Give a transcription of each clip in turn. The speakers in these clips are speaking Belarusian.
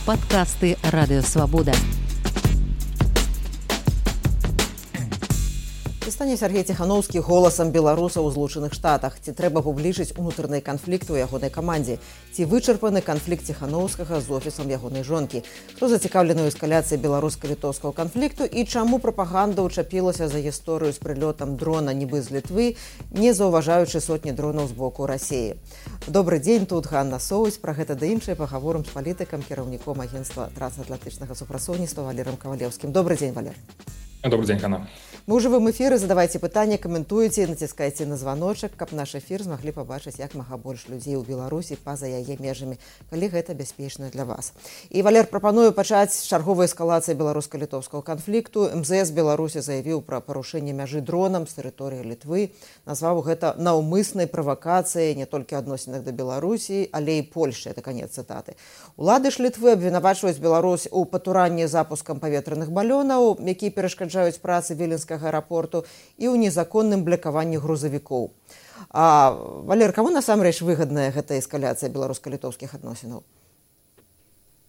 Падкасты Радыёвабода. Стане Сергей Ціхановскі голасам беларусаў у Злучаных Штатах. Ці трэба публічыць унутраны канфлікт у ягонай камандзе? Ці вычарпаны канфлікт Ціхановскага з офісам ягонай жонкі? Хто зацікаўлены ў эскаляцыі беларуска-літоўскага канфлікту і чаму прапаганда ўчапілася за гісторыю з прылётам дрона нібы з Літвы, не заўважаючы сотні дронаў з боку Расіі? Добры дзень, тут Ганна Соусь. Пра гэта да іншае пагаворым з палітыкам, кіраўніком агенцтва трансатлантычнага супрацоўніцтва Валером Кавалеўскім. Добры дзень, Валер. Добрый день, Ганна. Мы ў жывым эфіры, задавайце пытанні, каментуйце, націскайце на званочак, каб наш эфір змаглі пабачыць як мага больш людзей у Беларусі па-за яе межамі, калі гэта бяспечна для вас. І, Валер, прапаную пачаць з чарговай эскалацыі беларуска-літоўскага канфлікту. МЗС Беларусі заявіў пра парушэнне мяжы дронам з тэрыторыі Літвы, назваў гэта наўмыснай правакацыяй не толькі адносінах да Беларусі, але і Польшчы, это канец цытаты. Улады ж Літвы абвінавачваюць Беларусь у патуранні запускам паветраных балёнаў, якія перашкаджаюць працы Віленскага аэрапорту, і ў незаконным блякаванні грузавікоў. Валер, каму насамрэч выгадная гэта эскаляцыя беларуска-літоўскіх адносінаў?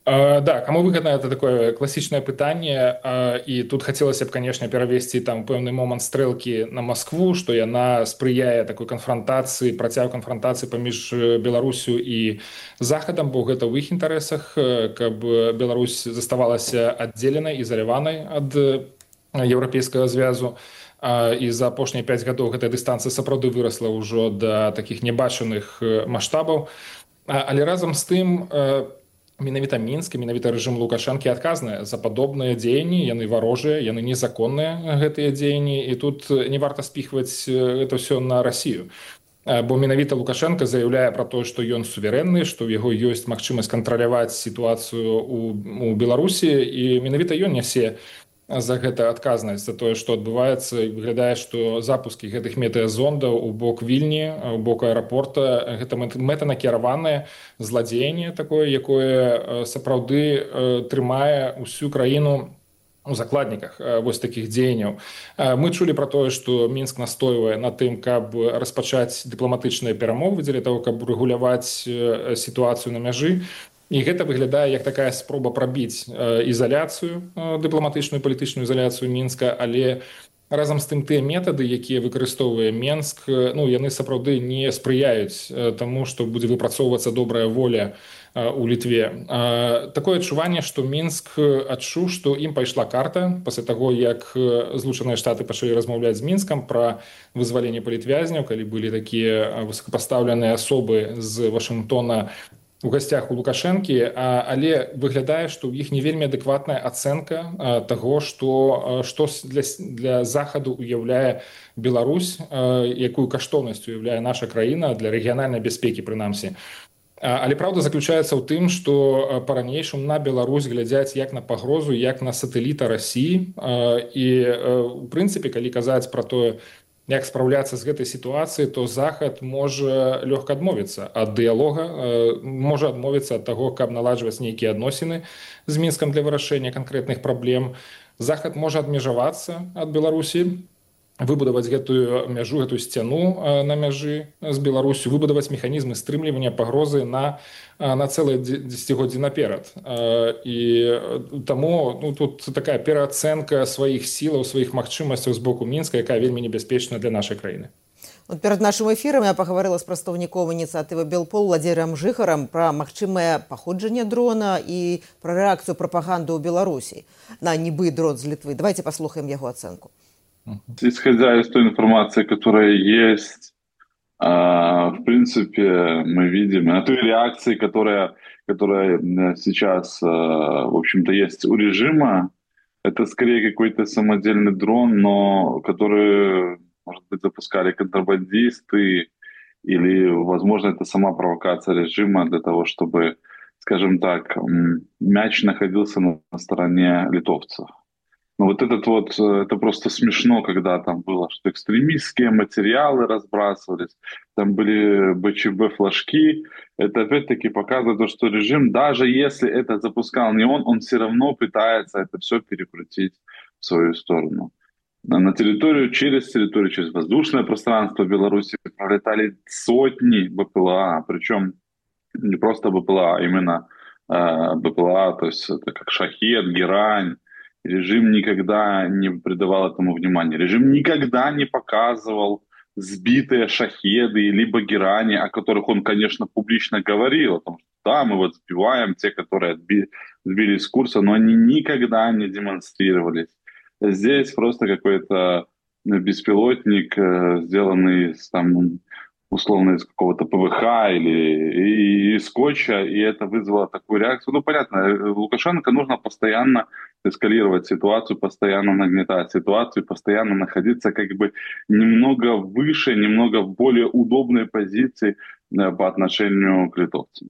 Да, кому выгодно, это такое классичное пытание, и тут хотелось бы, конечно, перевести там певный момент стрелки на Москву, что яна сприяе такой конфронтации, протягу конфронтации поміж Беларусью и Заходом, бо это в их интересах, как Беларусь заставалась отделенной, изолированной от Европейского звязу. І за апошнія 5 гадоў гэтая дыстанцыя сапраўды вырасла ўжо да такіх небачаных маштабаў. Але разам з тым менавіта Мінск, менавіта рэжым Лукашэнкі адказныя за падобныя дзеянні, яны варожыя, яны незаконныя, гэтыя дзеянні, і тут не варта спіхваць гэта ўсё на Расію. Бо менавіта Лукашенко заяўляе пра тое, што ён суверэнны, што ў яго ёсць магчымасць кантраляваць сітуацыю у Беларусі, і менавіта ён нясе за гэта адказнасць, за тое, што адбываецца, і выглядае, што запускі гэтых метэазондаў у бок Вільні, у бок аэрапорта, гэта мэтанакіраванае зладзеянне такое, якое сапраўды трымае ўсю краіну у закладніках вось такіх дзеянняў. Мы чулі пра тое, што Мінск настойвае на тым, каб распачаць дыпламатычныя перамовы дзеля таго, каб рэгуляваць сітуацыю на мяжы. І гэта выглядае як такая спроба прабіць ізаляцыю, дыпламатычную палітычную ізаляцыю Мінска, але разам з тым тыя метады, якія выкарыстоўвае Мінск, яны сапраўды не спрыяюць таму, што будзе выпрацоўвацца добрая воля у Літве. Такое адчуванне, што Мінск адчуў, што ім пайшла карта пасля таго, як Злучаныя Штаты пачалі размаўляць з Мінскам пра вызваленне палітвязняў, калі былі такія высокапастаўленыя асобы з Вашынгтона у гасцях у Лукашэнкі, але выглядае, што ў іх не вельмі адэкватная ацэнка таго, што для Захаду уяўляе Беларусь, якую каштоўнасць уяўляе наша краіна для рэгіянальнай бяспекі, прынамсі. Але праўда заключаецца ў тым, што па-ранейшаму на Беларусь глядзяць як на пагрозу, як на сатэліта Расіі. І, у прынцыпе, калі казаць пра тое, як спраўляцца з гэтай сітуацыі, то Захад можа лёгка адмовіцца ад дыялога, можа адмовіцца ад таго, каб наладжваць нейкія адносіны з Мінскам для вырашэння канкрэтных праблем. Захад можа адмежавацца ад Беларусі, выбудаваць гэтую мяжу, гэтую сцяну на мяжы з Беларусю, выбудаваць механізмы стрымлівання пагрозы на цэлае дзесяцігоддзі наперад. І таму тут такая пераацэнка сваіх сілаў, сваіх магчымасцяў з боку Мінска, якая вельмі небяспечная для нашай краіны. Перад нашым эфірам я пагаварыла з прадстаўніком ініцыятывы Белпол Владзірам Жыхарам пра магчымае паходжанне дрона і пра рэакцыю прапаганды ў Беларусі на нібы дрон з Літвы. Давайте паслухаем яго ацэнку. Исходя из той информации, которая есть, в принципе, мы видим, на той реакции, которая сейчас, в общем-то, есть у режима, это скорее какой-то самодельный дрон, но который, может быть, запускали контрабандисты, или, возможно, это сама провокация режима для того, чтобы, скажем так, мяч находился на стороне литовцев. Но вот это просто смешно, когда там было, что экстремистские материалы разбрасывались, там были БЧБ-флажки. Это опять-таки показывает то, что режим, даже если это запускал не он все равно пытается это все перекрутить в свою сторону. На территорию, через воздушное пространство Беларуси пролетали сотни БПЛА, причем не просто БПЛА, а именно БПЛА, то есть это как «Шахед», «Герань». Режим никогда не придавал этому внимания. Режим никогда не показывал сбитые «Шахеды» либо «Герани», о которых он, конечно, публично говорил, о том, что да, мы вот сбиваем те, которые сбились с курса, но они никогда не демонстрировались. Здесь просто какой-то беспилотник, сделанный условно из какого-то ПВХ или из скотча, и это вызвало такую реакцию. Ну, понятно, Лукашенко нужно постоянно эскалировать ситуацию, постоянно нагнетать ситуацию, постоянно находиться как бы немного выше, немного в более удобной позиции по отношению к литовцам.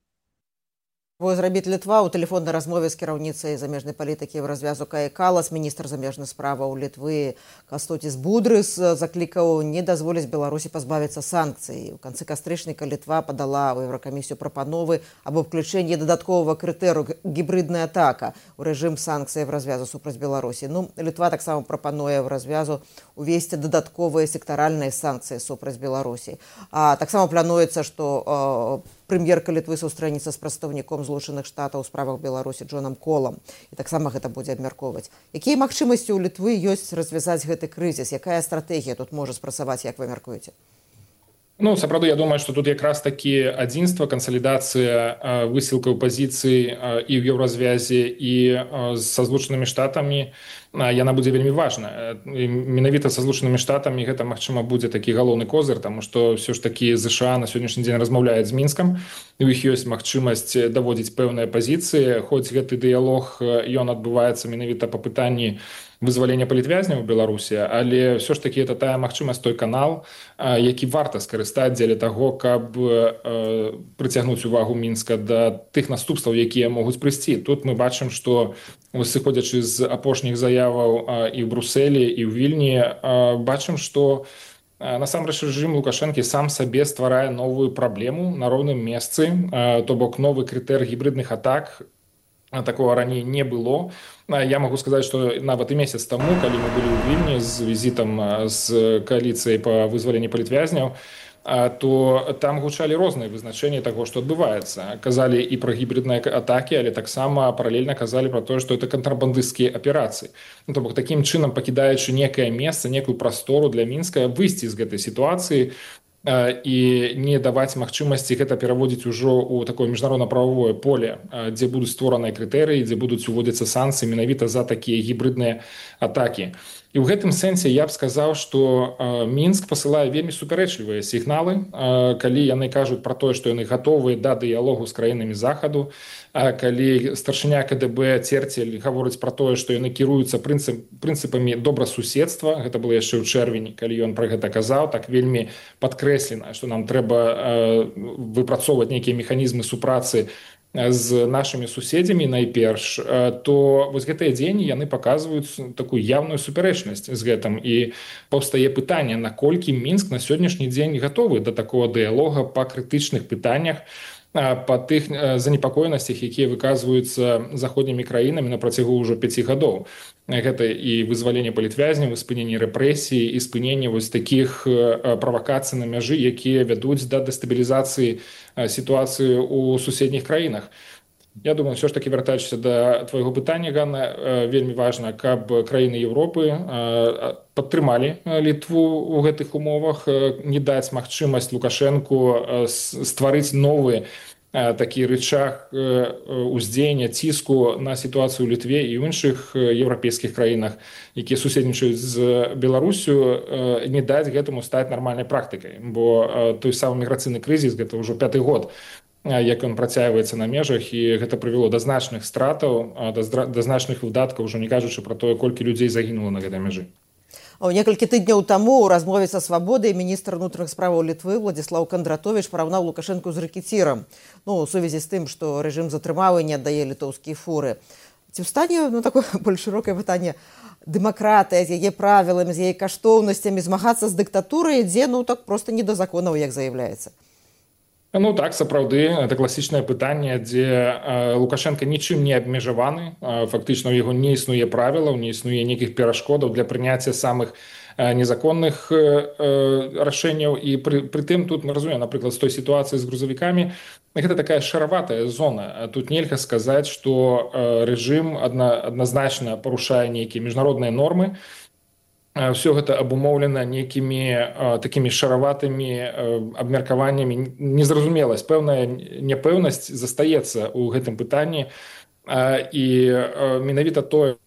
Зрабіць Літва ў тэлефоннай размове з кіраўніцай замежнай палітыкі Еўразвязу Каі Калас міністр замежных справаў Літвы Кастотіс Будрыс заклікаў не дазволіць Беларусі пазбавіцца санкцый. У канцы кастрычніка Літва падала ў Еўракамісію прапановы аб уключэнні дадатковага крытэрыю гібридная атака ў рэжым санкцый Еўразвязу супраць Беларусі. Літва таксама прапануе Еўразвязу увесці дадатковыя сектаральныя санкцыі супраць Беларусі. Таксама плануецца, што прэм'ерка Літвы сустрэнецца з прадстаўніком Злучаных Штатаў у справах Беларусі Джонам Колам. І таксама гэта будзе абмяркоўваць. Якія магчымасці ў Літвы ёсць развязаць гэты крызіс? Якая стратэгія тут можа спрацаваць, як вы мяркуеце? Сапраўды, я думаю, што тут якраз такі адзінства, кансалідацыя высілкаў пазіцый і ў еўразвязе і са Злучанымі Штатамі, яна будзе вельмі важная. Менавіта са Злучанымі Штатамі гэта, магчыма, будзе такі галоўны козыр, таму што ўсё ж такі ЗША на сённяшні дзень размаўляюць з Мінскам, і ў іх ёсць магчымасць даводзіць пэўныя пазіцыі, хоць гэты дыялог ён адбываецца менавіта па пытанні вызвалення палітвязняў у Беларусі, але ўсё ж такі это тая магчымасць, той канал, які варта скарыстаць дзеля таго, каб прыцягнуць увагу Мінска да тых наступстваў, якія могуць прыйсці. Тут мы бачым, што сыходзячы з апошніх заяваў і ў Брусэлі, і ў Вільні, бачым, што насамрэч рэжым Лукашэнкі сам сабе стварае новую праблему на роўным месцы, то бок новы крытэр гібридных атак, такого раней не было. Я могу сказаць, што нават і месяц таму, калі мы былі ў Вільні з візітам з кааліцыяй па вызваленні палітвязняў, то там гучалі розныя вызначэнні таго, што адбываецца. Казалі і пра гібридныя атакі, але таксама паралельна казалі пра тое, што это кантрабандысцкія аперацыі. То бок такім чынам, пакідаючы некае месца, некую прастору для Мінска, выйсці з гэтай сітуацыі і не даваць магчымасці гэта пераводзіць ужо ў такое міжнародна-прававое поле, дзе будуць створаныя крытэрыі, дзе будуць уводзіцца санкцыі менавіта за такія гібридныя атакі. І ў гэтым сэнсе я б сказаў, што Мінск пасылае вельмі супярэчлівыя сігналы, калі яны кажуць пра тое, што яны гатовыя да дыялогу з краінамі Захаду, калі старшыня КДБ Церцель гаворыць пра тое, што яны кіруюцца прынцыпамі добрасуседства, гэта было яшчэ ў чэрвені, калі ён пра гэта казаў, так вельмі падкрэслена, што нам трэба выпрацоўваць нейкія механізмы супрацы з нашымі суседзямі найперш, то вось гэтыя дзеянні яны паказваюць такую явную супярэчнасць з гэтым, і паўстае пытанне, наколькі Мінск на сённяшні дзень гатовы да такого дыялога па крытычных пытаннях, па тых занепакоенасцях, якія выказваюцца заходнімі краінамі на працягу ўжо 5 гадоў. Гэта і вызваленне палітвязняў, і спыненне рэпрэсій, і спыненне вось такіх правакацый на мяжы, якія вядуць да дэстабілізацыі сітуацыі ў суседніх краінах. Я думаю, ўсё ж такі, вяртаючыся да твайго пытання, Ганна, вельмі важна, каб краіны Еўропы падтрымалі Літву ў гэтых умовах, не даць магчымасць Лукашэнку стварыць новы такі рычаг уздзеяння, ціску на сітуацыю ў Літве і ў іншых еўрапейскіх краінах, якія суседнічаюць з Беларусю, не даць гэтаму стаць нармальнай практыкай. Бо той самы міграцыйны крызіс, гэта ўжо 5-й год, як ён працягваецца на межах, і гэта прывяло да значных стратаў, да значных выдаткаў, ужо не кажучы пра тое, колькі людзей загінула на гэтай мяжы. Некалькі тыдняў таму ў размове са «Свабодай» міністр унутраных справаў Літвы Владзіслаў Кандратовіч параўнаў Лукашэнку з рэкецірам, у сувязі з тым, што рэжым затрымаў і не аддае літоўскія фуры. Ці стане такое больш шырокае пытанне, дэмакратыя з яе правіламі, з яе каштоўнасцямі змагацца з дыктатурай, дзе так проста не да законаў, як заяўляецца? Так, сапраўды, это класічнае пытанне, дзе Лукашенко нічым не абмежаваны, фактычна ў яго не існуе правілаў, не існуе нейкіх перашкодаў для прыняцця самых незаконных рашэнняў, і прытым тут мы разумеем, напрыклад, з той сітуацыі з грузавікамі, гэта такая шараватая зона. Тут нельга сказаць, што рэжым адназначна парушае нейкія міжнародныя нормы. Все гэта абумоўлена нейкімі такімі шараватымі абмеркаваннямі, незразумеласць, пэўная няпэўнасць застаецца ў гэтым пытанні, і менавіта тое,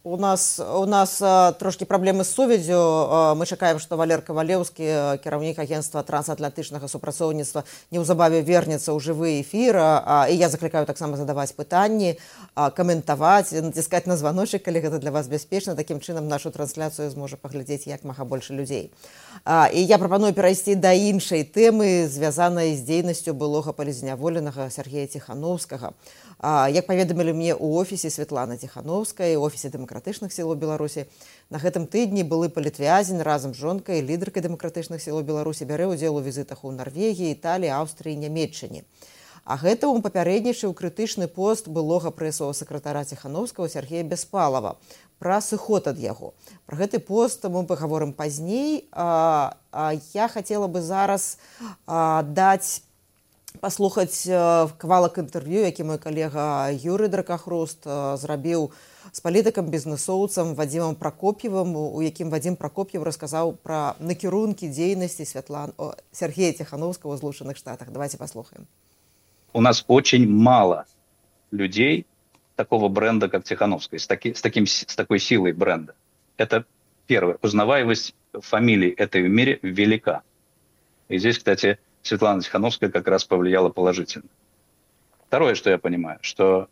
У нас трошки праблемы з сувяззю. Мы чакаем, што Валер Кавалеўскі, кіраўнік агенцтва трансатлантычнага супрацоўніцтва, неўзабаве вернецца ў жывы эфір. І я заклікаю таксама задаваць пытанні, каментаваць, націскаць на званочак, калі гэта для вас бяспечна. Такім чынам нашу трансляцыю зможа паглядзець як мага больш людзей. І я прапаную перайсці да іншай тэмы, звязанай з дзейнасцю былога палізняволенага Сергея Ціхановскага. Як паведамілі мне ў офісе Светланы Ціхановскай, у офісе дэмакратычных сілаў Беларусі, на гэтым тыдні былы палітвязень разам з жонкай, лідаркай дэмакратычных сілаў Беларусі, бярэ ўдзел у візітах у Нарвегіі, Італіі, Аўстрыі, Нямецчыне. А гэтаму папярэднічаў крытычны пост былога прэсавага сакратара Ціхановскага Сергея Беспалова пра сыход ад яго. Пра гэты пост мы пагаворым пазней. Я хацела бы зараз паслухаць кавалак інтэрв'ю, які мой калега Юрый Дракахруст зрабіў з палітыкам-бізнэсоўцам Вадзімам Пракоп'евым, у якім Вадзім Пракоп'ев расказаў пра накірункі дзейнасці Сергея Ціхановскага ў Злучаных Штатах. Давайте послухаем. У нас очень мало людей такого бренда, как Тихановская, с такой силой бренда. Это первое. Узнаваемость фамилий этой в мире велика. И здесь, кстати, Светлана Тихановская как раз повлияла положительно. Второе, что я понимаю, что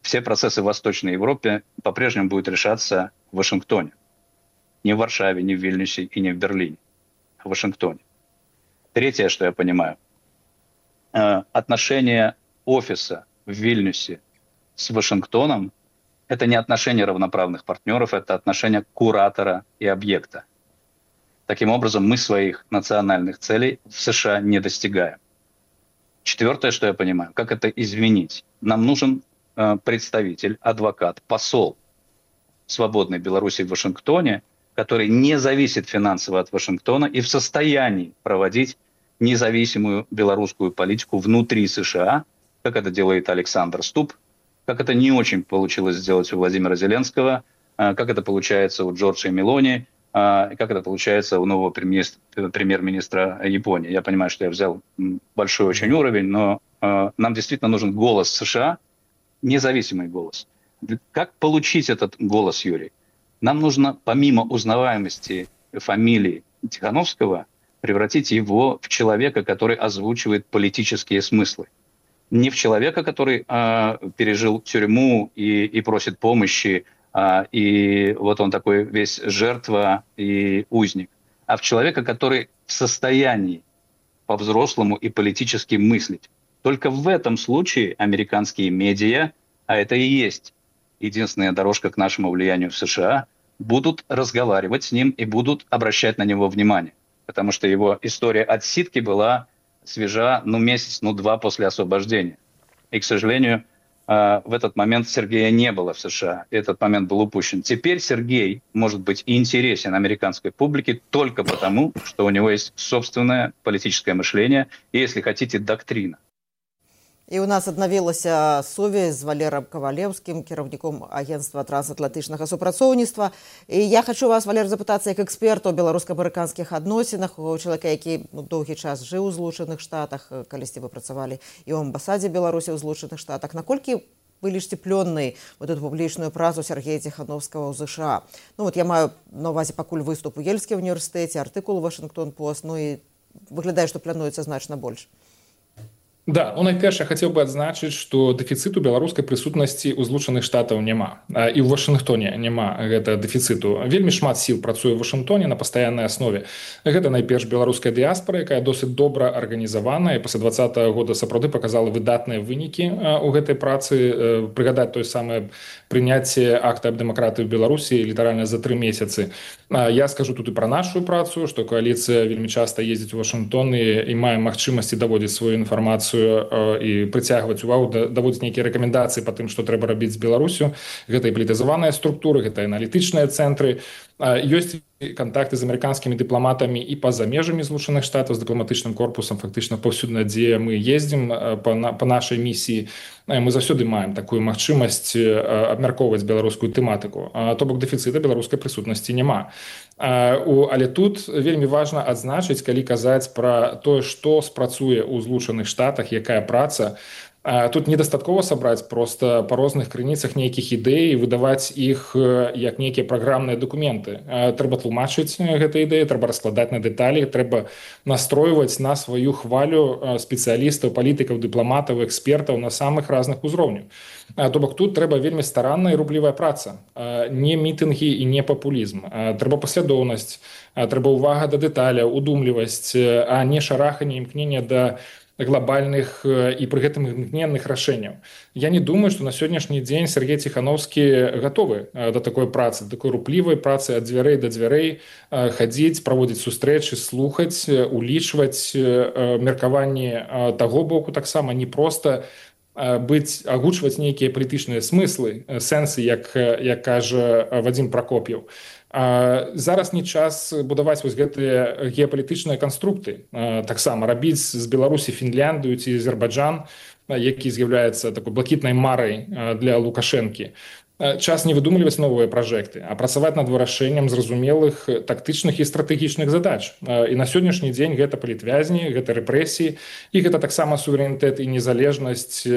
все процессы в Восточной Европе по-прежнему будут решаться в Вашингтоне. Не в Варшаве, не в Вильнюсе и не в Берлине, а в Вашингтоне. Третье, что я понимаю, отношения офиса в Вильнюсе с Вашингтоном – это не отношения равноправных партнеров, это отношения куратора и объекта. Таким образом, мы своих национальных целей в США не достигаем. Четвертое, что я понимаю, как это изменить. Нам нужен представитель, адвокат, посол свободной Беларуси в Вашингтоне, который не зависит финансово от Вашингтона и в состоянии проводить независимую белорусскую политику внутри США, как это делает Александр Ступ, как это не очень получилось сделать у Владимира Зеленского, как это получается у Джорджа Мелони, как это получается у нового премьер-министра Японии. Я понимаю, что я взял большой очень уровень, но нам действительно нужен голос США, независимый голос. Как получить этот голос, Юрий? Нам нужно, помимо узнаваемости фамилии Тихановского, превратить его в человека, который озвучивает политические смыслы. Не в человека, который пережил тюрьму и просит помощи, и вот он такой весь жертва и узник, а в человека, который в состоянии по-взрослому и политически мыслить. Только в этом случае американские медиа, а это и есть единственная дорожка к нашему влиянию в США, будут разговаривать с ним и будут обращать на него внимание. Потому что его история отсидки была свежа, месяц-два после освобождения. И, к сожалению, в этот момент Сергея не было в США. И этот момент был упущен. Теперь Сергей может быть интересен американской публике только потому, что у него есть собственное политическое мышление и, если хотите, доктрина. І у нас аднавілася сувязь з Валером Кавалеўскім, кіраўніком агенцтва трансатлантычнага супрацоўніцтва. І я хочу вас, Валер, запытацца як эксперта ў беларуска-амерыканскіх адносінах, у чалавека, які доўгі час жыў у Злучаных Штатах, калісьці вы працавалі і ў амбасадзе Беларусі ў Злучаных Штатах. Наколькі вы лічыце плённай вот эту публічную працу Сергея Ціхановскага ў ЗША? Я маю на ўвазе пакуль выступ у Ельскім універсітэце, артыкул у Вашингтон-Пост, і выглядае, што плануецца значна больш. Да, найперш я хацеў бы адзначыць, што дэфіцыту беларускай прысутнасці ў Злучаных Штатаў няма. І ў Вашынгтоне няма гэта дэфіцыту. Вельмі шмат сіл працуе ў Вашынгтоне на пастаяннай аснове. Гэта найперш беларуская дыяспара, якая досыць добра арганізавана і пасля 2020 года сапраўды паказала выдатныя вынікі ў гэтай працы. Прыгадаць тое самае прыняцце акта аб дэмакратыі ў Беларусі літаральна за 3 месяцы. Я скажу тут і пра нашу працу, што кааліцыя вельмі часта ездзіць у Вашынгтон і мае магчымасці даводзіць сваю інфармацыю і прыцягваць увагу, даводзіць нейкія рэкамендацыі па тым, што трэба рабіць з Беларусю. Гэта і палітызаваныя структуры, гэта аналітычныя цэнтры. Ёсць контакты з амерыканскімі дыпламатамі і па-за межамі Злучаных Штатаў, з дыпламатычным корпусам фактычна паўсюдна, дзе мы ездзім па нашай місіі. Мы заўсёды маем такую магчымасць абмяркоўваць беларускую тэматыку. То бок дэфіцыта беларускай прысутнасці няма. Але тут вельмі важна адзначыць, калі казаць пра тое, што спрацуе ў Злучаных Штатах, якая праца. Тут недастаткова сабраць просто па розных крыніцах нейкіх ідэй і выдаваць іх як нейкія праграмныя дакументы. Трэба тлумачыць гэтыя ідэі, трэба раскладаць на дэталі, трэба настройваць на сваю хвалю спецыялістаў, палітыкаў, дыпламатаў, экспертаў на самых разных узроўнях. То бок тут трэба вельмі старанная і рублівая праца, не мітынгі і не папулізм. Трэба паслядоўнасць, трэба ўвага да дэталяў, удумлівасць, а не шараханне, імкненне да глобальных і пры гэтым імгненных рашэнняў. Я не думаю, што на сённяшні дзень Сергей Ціхановскі гатовы да такой працы, такой руплівай працы ад дзвярэй да дзвярэй, хадзіць, праводзіць сустрэчы, слухаць, улічваць меркаванні таго боку таксама, не проста агучваць нейкія палітычныя смыслы, сэнсы, як кажа Вадзім Пракоп'еў. Зараз не час будаваць вось гэтыя геапалітычныя канструкты. Таксама рабіць з Беларусі Фінляндыю ці Азербайджан, які з'яўляецца такой блакітнай марай для Лукашэнкі. Час не выдумліваць новыя пражэкты, а працаваць над вырашэннем зразумелых тактычных і стратэгічных задач. І на сённяшні дзень гэта палітвязні, гэта рэпрэсіі, і гэта таксама суверэнітэт і незалежнасць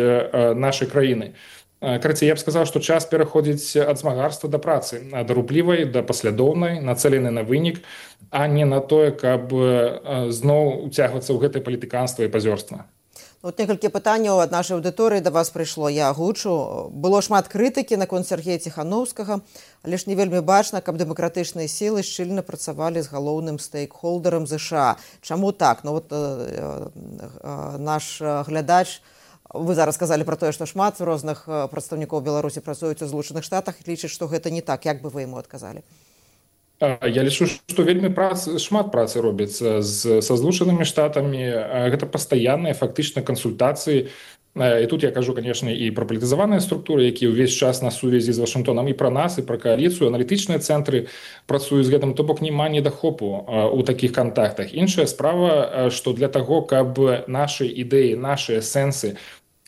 нашай краіны. Карацей, я б сказаў, што час пераходзіць ад змагарства да працы, да руплівай, да паслядоўнай, нацэленай на вынік, а не на тое, каб зноў уцягвацца ў гэтае палітыканства і пазёрства. Вот некалькі пытанняў ад нашай аўдыторыі да вас прыйшло, я агучу. Было шмат крытыкі наконт Сергея Ціхановскага, але ж не вельмі бачна, каб дэмакратычныя сілы шчыльна працавалі з галоўным стейкхолдерам ЗША. Чаму так? Ну вот наш глядач, вы зараз сказалі пра тое, што шмат розных прадстаўнікоў Беларусі працуюць у Злучаных Штатах, лічыць, што гэта не так. Як бы вы яму адказалі? Я лічу, што вельмі шмат працы робіцца са Злучанымі Штатамі. Гэта пастаянныя фактычна кансультацыі. І тут я кажу, конечно, і пра палітызаваныя структуры, якія ўвесь час на сувязі з Вашынгтонам, і пра нас, і пра кааліцыю. Аналітычныя цэнтры працуюць з гэтым, то бок няма недахопу ў такіх кантактах. Іншая справа, што для таго, каб нашы ідэі, нашыя сэнсы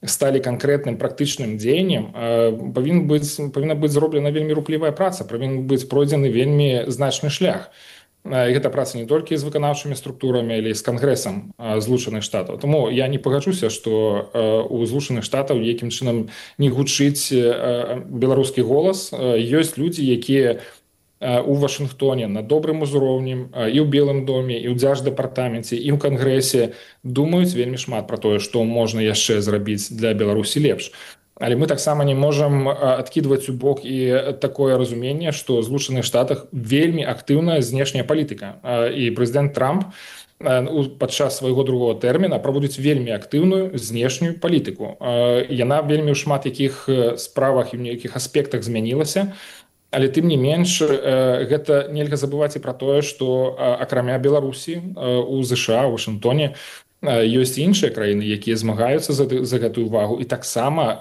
сталі канкрэтным практычным дзеяннем, павінна быць зроблена вельмі руплівая праца, павінен быць пройдзены вельмі значны шлях. І гэта праца не толькі з выканаўчымі структурамі, але і з кангрэсам Злучаных Штатаў. Таму я не пагаджуся, што у Злучаных Штатаў якім чынам не гучыць беларускі голас. Ёсць людзі, якія у Вашынгтоне на добрым узроўні, і ў Белым доме, і ў Дзярждэпартаменце, і ў кангрэсе думаюць вельмі шмат пра тое, што можна яшчэ зрабіць для Беларусі лепш. Але мы таксама не можам адкідваць у бок і такое разуменне, што ў Злучаных Штатах вельмі актыўная знешняя палітыка. І прэзідэнт Трамп падчас свайго другого тэрміна праводзіць вельмі актыўную знешнюю палітыку. Яна вельмі ў шмат якіх справах і ў нейкіх аспектах змянілася, але тым не менш гэта нельга забываць і пра тое, што акрамя Беларусі у ЗША, у Вашынгтоне ёсць іншыя краіны, якія змагаюцца за гэтую увагу і таксама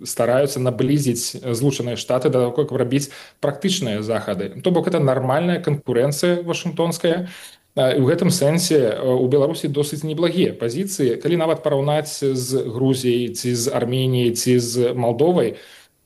стараюцца наблізіць Злучаныя Штаты да таго, каб рабіць практычныя захады. То бок гэта нармальная канкурэнцыя вашынгтонская. І ў гэтым сэнсе у Беларусі досыць неблагія пазіцыі. Калі нават параўнаць з Грузіяй, ці з Арменіяй, ці з Малдовай,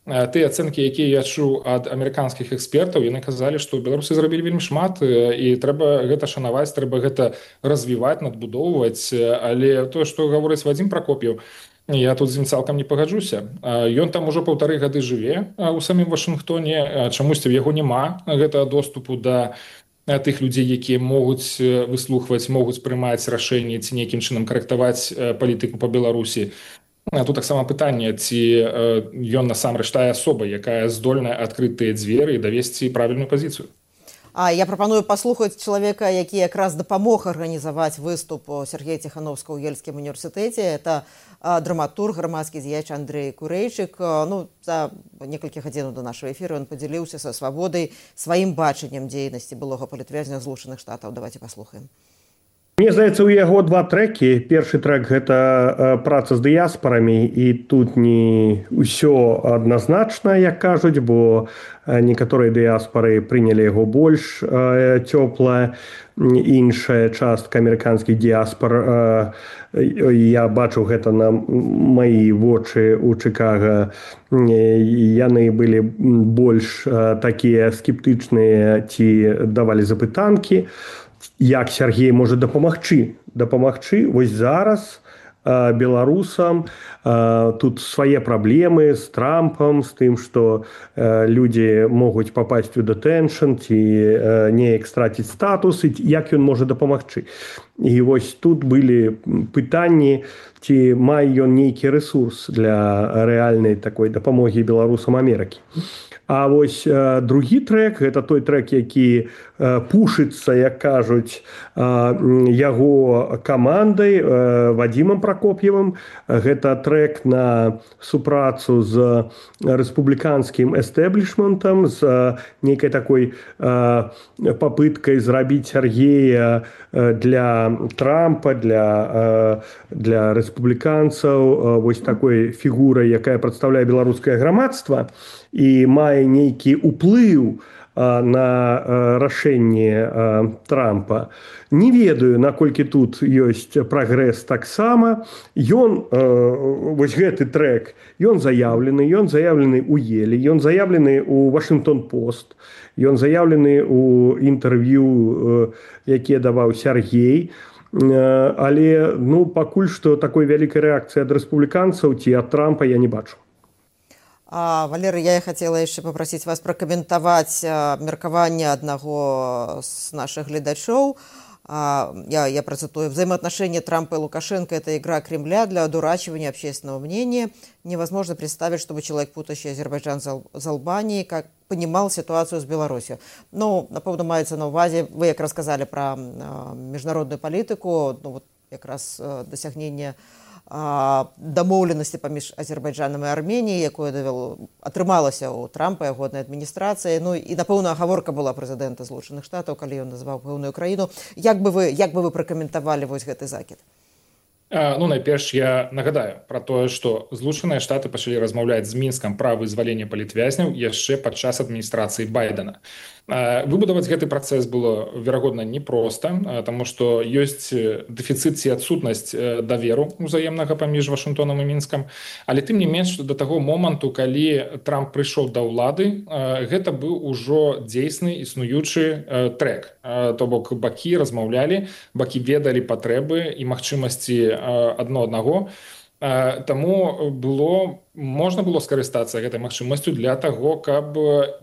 тыя ацэнкі, якія я чуў ад амерыканскіх экспертаў, яны казалі, што беларусы зрабілі вельмі шмат, і трэба гэта шанаваць, трэба гэта развіваць, надбудоўваць. Але тое, што гаворыць Вадзім Пракоп'еў, я тут з ім цалкам не пагаджуся. Ён там ужо 1,5 гады жыве ў самім Вашынгтоне, чамусьці ў яго няма гэтага доступу да тых людзей, якія могуць выслухваць, могуць прымаць рашэнні ці нейкім чынам карэктаваць палітыку па Беларусі. Тут таксама пытанне, ці ён насамрэч тая асоба, якая здольная адкрыць тыя дзверы і давесці правільную пазіцыю. Я прапаную паслухаць чалавека, які якраз дапамог арганізаваць выступ Сергея Ціхановскага ў Ельскім універсітэце. Это драматург, грамадскі дзеяч Андрэй Курэйчык. За некалькі гадзінаў да нашага эфіру ён падзяліўся са свабодай сваім бачаннем дзейнасці былога палітвязня Злучаных Штатаў. Давайте паслухаем. Мне здаецца, у яго два трэкі. Першы трэк гэта праца з дыяспарамі, і тут не ўсё адназначна, як кажуць, бо некаторыя дыяспары прынялі яго больш цёпла, іншая частка амерыканскіх дыяспар, я бачу гэта на маі вочы ў Чыкага, яны былі больш такія скептычныя ці давалі запытанкі, як Сергей можа дапамагчы. Вось зараз беларусам тут свае праблемы з Трампам, з тым, што людзі могуць папасць у дэтэншн ці неяк страціць статус, і як ён можа дапамагчы. І вось тут былі пытанні, ці мае ён нейкі рэсурс для рэальнай такой дапамогі беларусам Амерыкі. А вось другі трэк, гэта той трэк, які пушыцца, як кажуць, яго камандай, Вадзімам Пракоп'евым. Гэта трэк на супрацу з рэспубліканскім эстэблішментам, з нейкай такой папыткай зрабіць Сергея для Трампа, для рэспубліканцаў, вось такой фігурай, якая прадстаўляе беларускае грамадства і мае нейкі ўплыў на рашэнне Трампа. Не ведаю, наколькі тут ёсць прагрэс таксама. Ён, вось гэты трэк, ён заяўлены ў Еле, ён заяўлены ў Вашынгтон-Пост, ён заяўлены ў інтэрв'ю, якія даваў Сергей. Але пакуль што такой вялікай рэакцыі ад рэспубліканцаў ці ад Трампа я не бачу. Валерый, я хотела яшчэ попросить вас прокомментовать меркаванне одного з наших глядачоў. Я процитую. Взаимоотношения Трампа и Лукашенко – это игра Кремля для одурачивания общественного мнения. Невозможно представить, чтобы человек, путающий Азербайджан с Албанией, как понимал ситуацию с Беларусью. Напевно, мається на увазі, ви як рассказали про міжнародную политику, як раз досягнення дамоўленасці паміж Азербайджанам і Арменіяй, якое атрымалася ў Трампа, яго адміністрацыі. І, напэўна, гаворка была прэзідэнта Злучаных Штатаў, калі ён назваў пэўную краіну. Як бы вы пракаментавалі вось гэты закід? Найперш я нагадаю про тое, што Злучаныя Штаты пачалі размаўляць з Мінскам пра вызваленне палітвязняў яшчэ падчас адміністрацыі Байдена. Выбудаваць гэты працэс было, верагодна, непроста, таму што ёсць дэфіцыт ці адсутнасць даверу ўзаемнага паміж Вашынгтонам і Мінскам, але тым не менш да таго моманту, калі Трамп прыйшоў да ўлады, гэта быў ужо дзейсны існуючы трэк. То бок бакі размаўлялі, бакі ведалі патрэбы і магчымасці адно аднаго. Таму можна было скарыстацца гэтай магчымасцю для таго, каб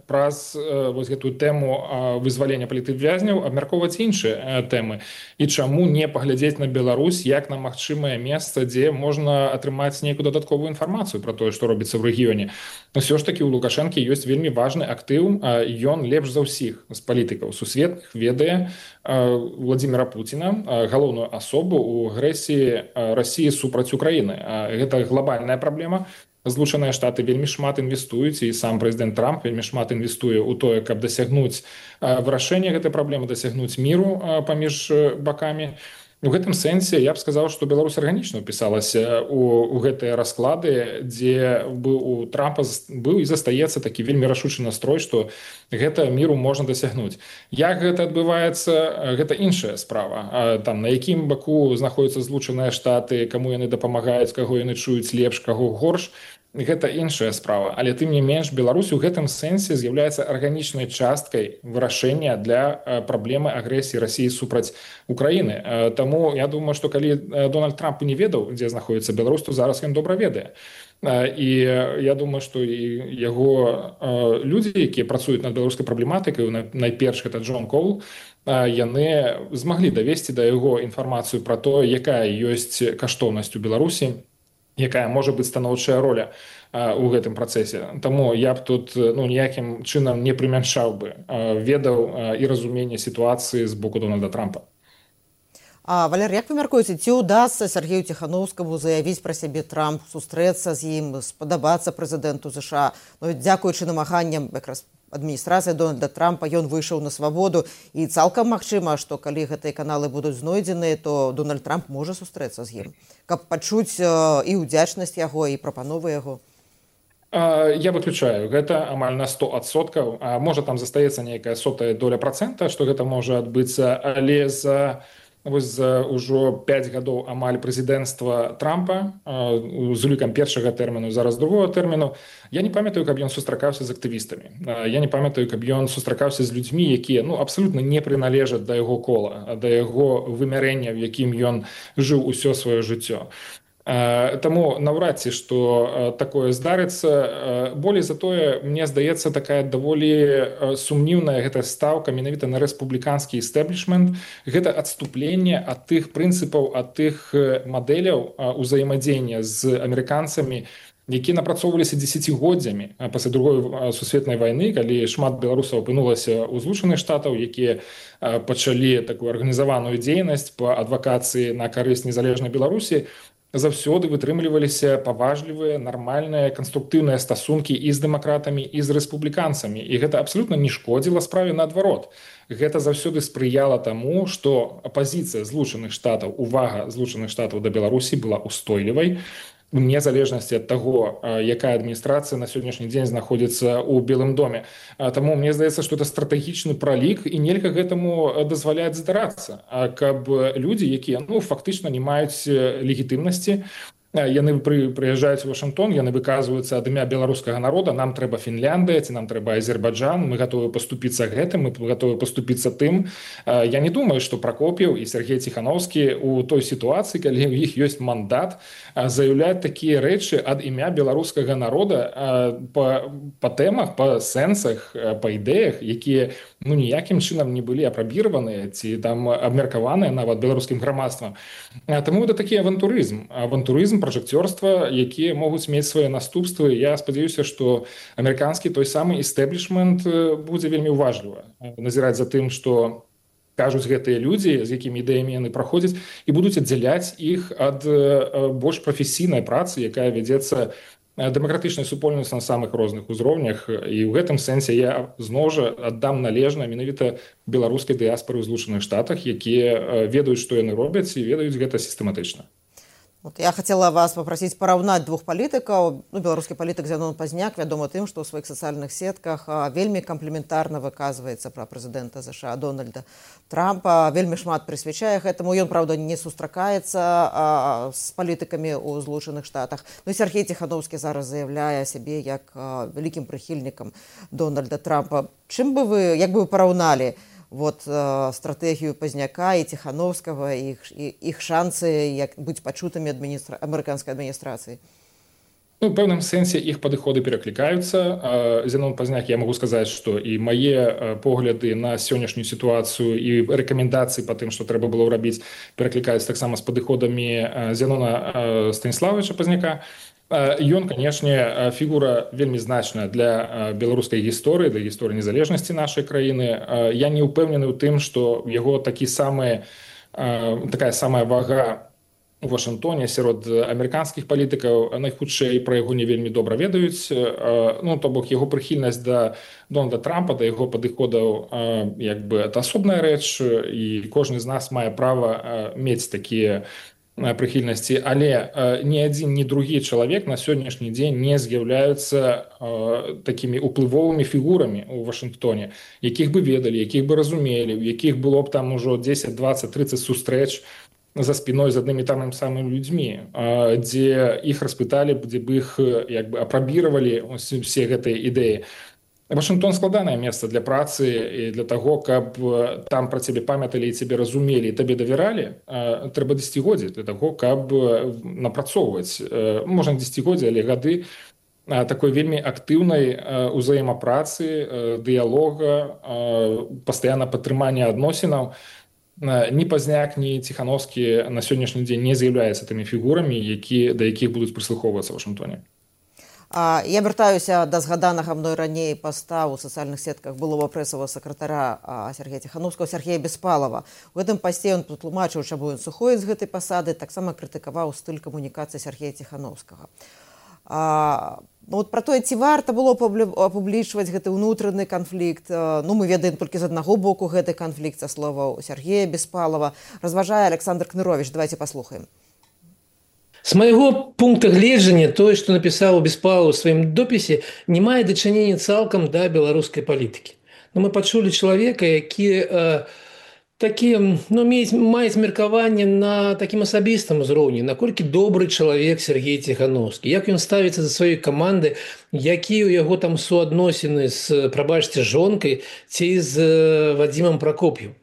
праз вось гэтую тэму вызвалення палітвязняў абмяркоўваць іншыя тэмы. І чаму не паглядзець на Беларусь як на магчымае месца, дзе можна атрымаць нейкую дадатковую інфармацыю пра тое, што робіцца ў рэгіёне. Усё ж такі ў Лукашэнкі ёсць вельмі важны актыў, ён лепш за ўсіх з палітыкаў сусветных ведае Владзіміра Пуціна, галоўную асобу ў агрэсіі Расіі супраць Украіны. Гэта глобальная праблема. Злучаныя Штаты вельмі шмат інвестуюць, і сам прэзідэнт Трамп вельмі шмат інвестуе ў тое, каб дасягнуць вырашэння гэтай праблемы, дасягнуць міру паміж бакамі. У гэтым сэнсе я б сказаў, што Беларусь арганічна ўпісалася ў гэтыя расклады, дзе у Трампа быў і застаецца такі вельмі рашучы настрой, што гэта міру можна дасягнуць. Як гэта адбываецца, гэта іншая справа. Там на якім баку знаходзяцца Злучаныя Штаты, каму яны дапамагаюць, каго яны чуюць лепш, каго горш, гэта іншая справа. Але тым не менш, Беларусь у гэтым сэнсе з'яўляецца арганічнай часткай вырашэння для праблемы агрэсіі Расіі супраць Украіны. Таму я думаю, што калі Дональд Трамп не ведаў, дзе знаходзіцца Беларусь, то зараз ён добра ведае. І я думаю, што і яго людзі, якія працуюць над беларускай праблематыкай, найперш гэта Джон Коул, яны змаглі давесці да яго інфармацыю пра тое, якая ёсць каштоўнасць у Беларусі, якая можа быць станоўчая роля у гэтым працэсе. Таму я б тут ніякім чынам не прымяншаў бы ведаў і разуменне сітуацыі з боку Дональда Трампа. Валер, як вы мяркуеце, ці ўдасца Сергею Ціханаўскаму заявіць пра сябе Трамп, сустрэцца з ім, спадабацца прэзідэнту ЗША, дзякуючы намаганням якраз адміністрацыя Дональда Трампа, ён выйшаў на свабоду, і цалкам магчыма, што калі гэтыя каналы будуць знойдзены, то Дональд Трамп можа сустрэцца з ім, каб пачуць і ўдзячнасць яго, і прапановы яго. Я выключаю, гэта амаль на 100%, можа там застаецца нейкая 0,01%, што гэта можа адбыцца, але за ўжо 5 гадоў амаль прэзідэнцтва Трампа з улікам першага тэрміну, зараз другого тэрміну, я не памятаю, каб ён сустракаўся з актывістамі. Я не памятаю, каб ён сустракаўся з людзьмі, якія абсалютна не прыналежаць да яго кола, да яго вымярэння, в якім ён жыў усё сваё жыццё. Таму наўрад ці што такое здарыцца. Болей за тое, мне здаецца, такая даволі сумнівная гэта стаўка менавіта на рэспубліканскі эстаблішмент. Гэта адступленне ад тых прынцыпаў, ад тых мадэляў узаемадзеяння з амерыканцамі, якія напрацоўваліся дзесяцігоддзямі пасля другой сусветнай вайны, калі шмат беларусаў апынулася ў Злучаных Штатаў, якія пачалі такую арганізаваную дзейнасць па адвакацыі на карысць незалежнай Беларусі, заўсёды вытрымліваліся паважлівыя, нармальныя, канструктыўныя стасункі і з дэмакратамі, і з рэспубліканцамі. І гэта абсалютна не шкодзіла справе, наадварот. Гэта заўсёды спрыяла таму, што апазіцыя Злучаных Штатаў, увага Злучаных Штатаў да Беларусі была устойлівай, вне залежнасці ад таго, якая адміністрацыя на сённяшні дзень знаходзіцца ў Белым доме. Таму мне здаецца, што это стратэгічны пралік, і нельга гэтаму дазваляць здарацца, каб людзі, якія фактычна не маюць легітымнасці, яны прыязджаюць у Вашынгтон, яны выказваюцца ад імя беларускага народа, нам трэба Фінляндыя, ці нам трэба Азербайджан, мы гатовы паступіцца гэтым, мы гатовы паступіцца тым. Я не думаю, што Пракоп'еў і Сергей Ціхановскі у той сітуацыі, калі ў іх ёсць мандат, заяўляць такія рэчы ад імя беларускага народа па тэмах, па сэнсах, па ідэях, якія ніякім чынам не былі апрабіраваныя ці там абмеркаваныя нават беларускім грамадствам. Таму гэта такі авантурызм, пражэкцёрства, якія могуць мець свае наступствы. Я спадзяюся, што амерыканскі той самы эстаблішмент будзе вельмі уважліва назіраць за тым, што кажуць гэтыя людзі, з якімі ідэямі яны праходзяць, і будуць аддзяляць іх ад больш прафесійнай працы, якая вядзецца дэмакратычнай супольнасці на самых розных узроўнях. І ў гэтым сэнсе я зноў жа аддам належна менавіта беларускай дыяспары ў Злучаных Штатах, якія ведаюць, што яны робяць, і ведаюць гэта сістэматычна. Я хотела вас попросить параўнаць двух палітыкаў. Беларускі палітык Зянон Пазняк вядома тым, што ў сваіх сацыяльных сетках вельмі кампліментарна выказваецца пра прэзідэнта ЗША Дональда Трампа, вельмі шмат прысвячае гэтаму. Ён, праўда, не сустракаецца з палітыкамі ў Злучаных Штатах. Сергей Ціхановскі зараз заяўляе сябе як вялікім прыхільнікам Дональда Трампа. Як бы вы параўналі стратэгію Пазняка і Ціхановскага, іх шансы быць пачутымі амерыканскай адміністрацыі? У пэўным сэнсе іх падыходы пераклікаюцца. Зянон Пазняк, я магу сказаць, што і мае погляды на сённяшнюю сітуацыю і рэкамендацыі па тым, што трэба было рабіць, пераклікаюцца таксама з падыходамі Зянона Станіславовича Пазняка. Ён, канешне, фігура вельмі значная для беларускай гісторыі, для гісторыі незалежнасці нашай краіны. Я не ўпэўнены ў тым, што яго такая самая вага у Вашынгтоне сярод амерыканскіх палітыкаў, найхутчэй пра яго не вельмі добра ведаюць. То бок, яго прыхільнасць да Дональда Трампа, да яго падыходаў, это асобная рэч, і кожны з нас мае права мець такія прыхільнасці, але ні адзін, ні другі чалавек на сённяшні дзень не з'яўляюцца такімі уплывовымі фігурамі ў Вашынгтоне, якіх бы ведалі, якіх бы разумелі, у якіх было б там ужо 10, 20, 30 сустрэч за спіной з аднымі тамым самым людзьмі, дзе іх распыталі, дзе б іх апрабіравалі усе гэтыя ідэі. Вашынгтон складанае месца для працы і для таго, каб там пра цябе памяталі і цябе разумелі і табе давяралі. Трэба дзесяцігоддзі для таго, каб напрацоўваць, можна дзесяцігоддзі, але гады такой вельмі актыўнай узаемапрацы, дыялога, пастаянна падтрымання адносінаў. Ні Пазняк, ні Ціхановскі на сённяшні дзень не з'яўляюцца тымі фігурамі, да якіх будуць прыслухоўвацца ў Вашынгтоне. Я вяртаюся да згаданага мной раней паста ў сацыяльных сетках былога прэсавага сакратара Сергея Ціхановскага, Сергея Беспалова. У гэтым пасце ён патлумачыў, чаму ён сыходзіць з гэтай пасады, таксама крытыкаваў стыль камунікацыі Сергея Ціхановскага. Вот пра тое, ці варта было апублічваць гэты ўнутраны канфлікт. Ну, мы ведаем толькі з аднаго боку гэты канфлікт, са словаў Сергея Беспалова. Разважае Александр Кнырович. Давайте паслухаем. С моего пункта гледжання, тое, што напісаў Беспалов у сваім допісе, не мае дачынення цалкам да беларускай палітыкі. Но мы пачулі чалавека, які маюць меркаванне на такім асабістым узроўні, наколькі добры чалавек Сергей Ціхановскі, як ён ставіцца за сваёй каманды, якія ў яго там суадносіны з, прабачце, жонкай ці з Вадзімам Пракоп'ем.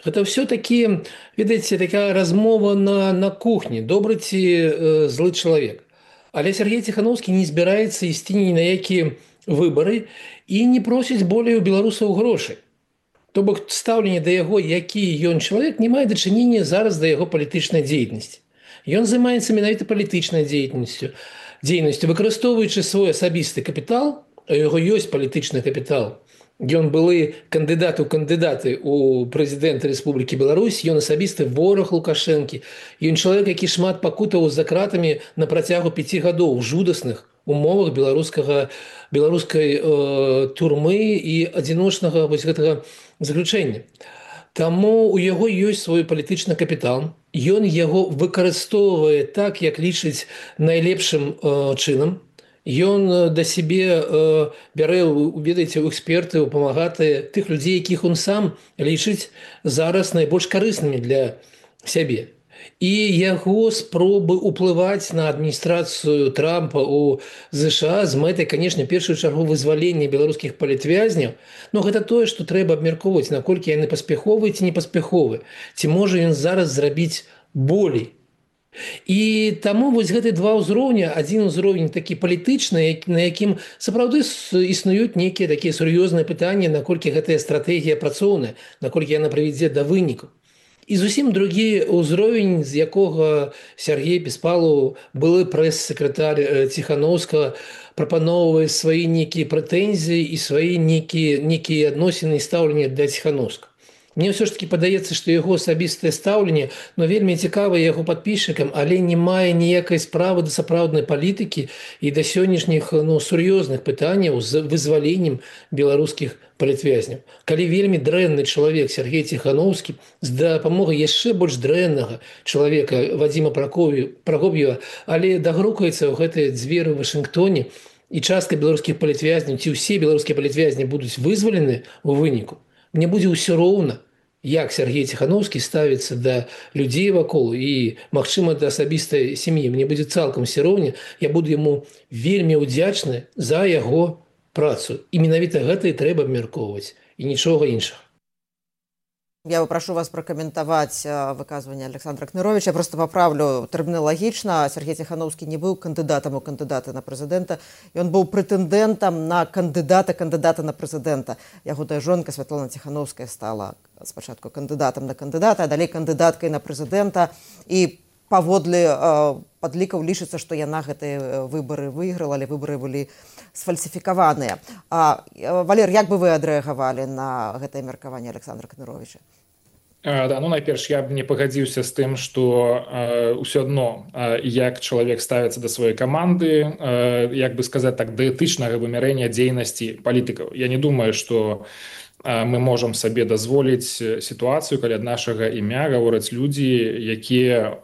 Гэта ўсё такі, ведаеце, такая размова на кухні, добры ці злы чалавек. Але Сергей Ціхановскі не збіраецца ісці ні на якія выбары і не просіць болей у беларусаў грошай. То бок стаўленне да яго, які ён чалавек, не мае дачынення зараз да яго палітычнай дзейнасці. Ён займаецца менавіта палітычнай дзейнасцю, выкарыстоўваючы свой асабісты капітал, а у яго ёсць палітычны капітал. Ён былы кандыдат у кандыдаты ў прэзідэнта Рэспублікі Беларусь, ён асабісты вораг Лукашэнкі. Ён чалавек, які шмат пакутаў за кратамі на працягу 5 гадоў у жудасных умовах беларускай турмы і адзіночнага вось гэтага заключэння. Таму у яго ёсць свой палітычны капітал. Ён яго выкарыстоўвае так, як лічыць найлепшым чынам. Ён да сябе бярэ, ведаеце, у эксперты, у памагатыя тых людзей, якіх ён сам лічыць зараз найбольш карыснымі для сябе. І яго спробы ўплываць на адміністрацыю Трампа ў ЗША з мэтай, канешне, першую чаргу вызвалення беларускіх палітвязняў, но гэта тое, што трэба абмяркоўваць, наколькі яны паспяховыя ці непаспяховыя. Ці можа ён зараз зрабіць болей. І таму вось гэты два ўзроўня, адзін узровень такі палітычны, на якім сапраўды існуюць нейкія такія сур'ёзныя пытанні, наколькі гэтая стратэгія працоўная, наколькі яна прывядзе да вынікаў. І зусім другі ўзровень, з якога Сергей Беспалов, былы прэс-сакратар Ціхановскага, прапаноўвае свае нейкія прэтэнзіі і свае нейкія адносіны і стаўленне да Ціхановскага. Мне ўсё ж таки падаецца, што яго асабістае стаўленне, вельмі цікава яго падпісчыкам, але не мае ніякай справы да сапраўднай палітыкі і да сённяшніх сур'ёзных пытанняў з вызваленнем беларускіх палітвязняў. Калі вельмі дрэнны чалавек Сергей Ціхановскі з дапамогай яшчэ больш дрэннага чалавека Вадзіма Пракоп'ева, але дагрукаецца ў гэтыя дзверы ў Вашынгтоне, і частка беларускіх палітвязняў, ці ўсе беларускія палітвязні будуць вызвалены ў выніку, мне будзе ўсё роўна, як Сергей Ціхановскі ставіцца да людзей вакол і, магчыма, да асабістай сям'і. Мне будзе цалкам ўсё роўна, я буду яму вельмі ўдзячны за яго працу. І менавіта гэта і трэба абмяркоўваць, і нічога іншага. Я попрошу вас прокомментовать выказывание Александра Кныровича. Я просто поправлю терминологично. Сергей Ціхановскі не был кандидатом у кандидата на президента. Он был претендентом на кандидата на президента. Яго жонка Святлана Ціхановская стала спочатку кандидатом на кандидата, а далее кандидаткой на президента. И паводле падлікаў лічыцца, што яна гэтыя выборы выйграла, але выборы былі сфальсіфікаваныя. Валер, як бы вы адрэагавалі на гэтае меркаванне Александра Кныровича? Да, найперш я б не пагадзіўся з тым, што ўсё адно як чалавек ставіцца да сваёй каманды, як бы сказаць так, да этычнага вымярэння дзейнасці палітыкаў. Я не думаю, што мы можам сабе дазволіць сітуацыю, калі ад нашага імя гавораць людзі, якія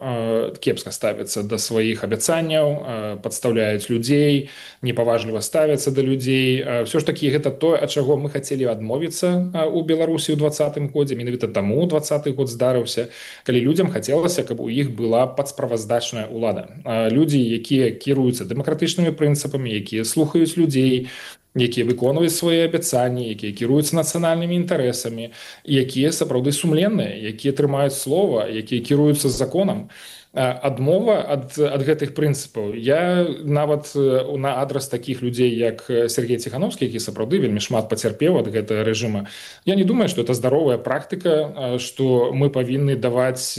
кепска ставяцца да сваіх абяцанняў, падстаўляюць людзей, непаважліва ставяцца да людзей. Ўсё ж такі гэта тое, ад чаго мы хацелі адмовіцца ў Беларусі ў 2020 годзе. Менавіта таму 2020 год здарыўся, калі людзям хацелася, каб у іх была падсправаздачная ўлада. Людзі, якія кіруюцца дэмакратычнымі прынцыпамі, якія слухаюць людзей, якія выконваюць свае абяцанні, якія кіруюцца нацыянальнымі інтарэсамі, якія сапраўды сумленныя, якія трымаюць слова, якія кіруюцца законам. Адмова ад гэтых прынцыпаў. Я нават на адрас такіх людзей, як Сергей Ціхановскі, які сапраўды вельмі шмат пацярпеў ад гэтага рэжыма, я не думаю, што это здаровая практыка, што мы павінны даваць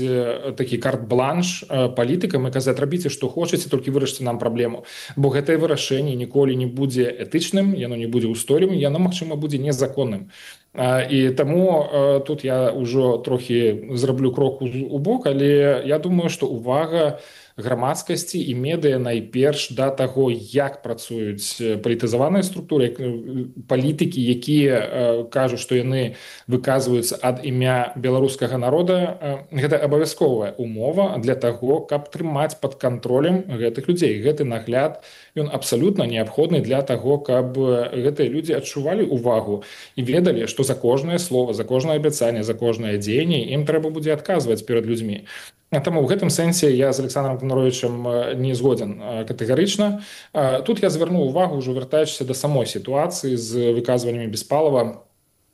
такі карт-бланш палітыкам і казаць, рабіце, што хочаце, толькі вырашце нам праблему. Бо гэтае вырашэнне ніколі не будзе этычным, яно не будзе ўстойлівым, яно, магчыма, будзе незаконным. І таму тут я ўжо трохі зраблю крок у бок, але я думаю, што увага грамадскасці і медыя найперш да таго, як працуюць палітызаваныя структуры, палітыкі, якія кажуць, што яны выказваюцца ад імя беларускага народа. Гэта абавязковая умова для таго, каб трымаць пад кантролем гэтых людзей. Гэты нагляд, ён абсалютна неабходны для таго, каб гэтыя людзі адчувалі увагу і ведалі, што за кожнае слово, за кожнае абяцанне, за кожнае дзеянне ім трэба будзе адказваць перад людзьмі. Таму ў гэтым сэнсе я з Александром Конаровичем не згоден катэгарычна. Тут я звярнуў увагу, ўжо вяртаючыся да самой сітуацыі з выказваннямі Беспалова,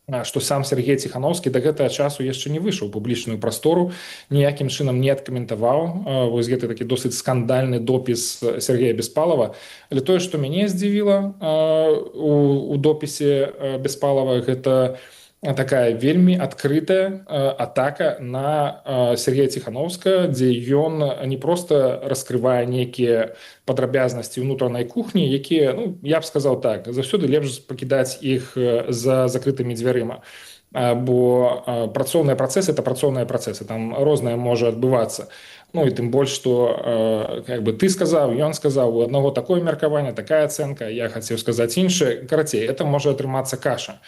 што сам Сергей Ціхановскі да гэтага часу яшчэ не выйшаў у публічную прастору, ніякім чынам не адкаментаваў вось гэты такі досыць скандальны допіс Сергея Беспалова. Але тое, што мяне здзівіла у допісе Беспалова, гэта такая вельмі адкрытая атака на Сергея Ціхановскага, дзе ён не проста раскрывае нейкія падрабязнасці ўнутранай кухні, якія, я б сказаў так, заўсёды лепш пакідаць іх за закрытымі дзвярыма. Бо працоўныя працэсы – это працоўныя працэсы, там рознае можа адбывацца. І тым больш, што ты сказаў, ён сказаў, у аднаго такое меркаванне, такая ацэнка, я хацеў сказаць іншае. Карацей, это можа атрымацца каша.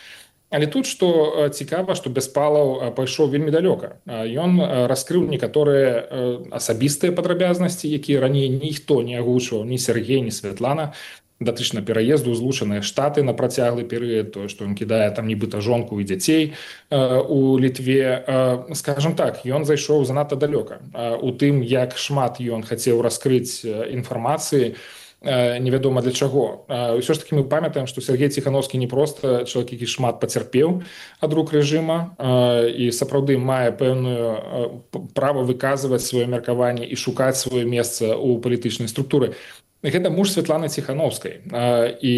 Але тут, што цікава, што Беспалаў пайшоў вельмі далёка. Ён раскрыў некаторыя асабістыя падрабязнасці, якія раней ніхто не агучваў, ні Сергей, ні Святлана, датычна пераезду ў Злучаныя Штаты на працяглы перыяд, тое, што ён кідае там нібыта жонку і дзяцей у Літве. Скажам так, ён зайшоў занадта далёка. У тым, як шмат ён хацеў раскрыць інфармацыі, невядома для чаго. Ўсё ж такі мы памятаем, што Сергей Ціхановскі не проста чалавек, які шмат пацярпеў ад рук рэжыма і сапраўды мае пэўную права выказваць сваё меркаванне і шукаць сваё месца ў палітычнай структуры. Гэта муж Святланы Ціхановскай. І